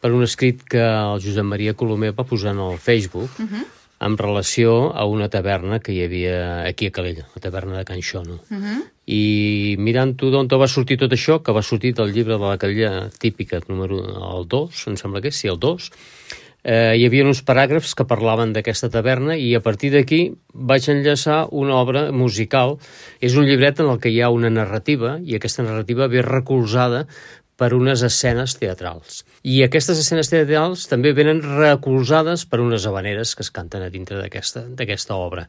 per un escrit que el Josep Maria Colomer va posar en el Facebook en relació a una taverna que hi havia aquí a Calella, la taverna de Can Xono. I mirant-ho d'on va sortir tot això, que va sortir del llibre de la Calella típica, número el 2, em sembla que és, sí, el 2, hi havia uns paràgrafs que parlaven d'aquesta taverna i a partir d'aquí vaig enllaçar una obra musical. És un llibret en el que hi ha una narrativa i aquesta narrativa ve recolzada per unes escenes teatrals. I aquestes escenes teatrals també venen recolzades per unes havaneres que es canten a dintre d'aquesta obra.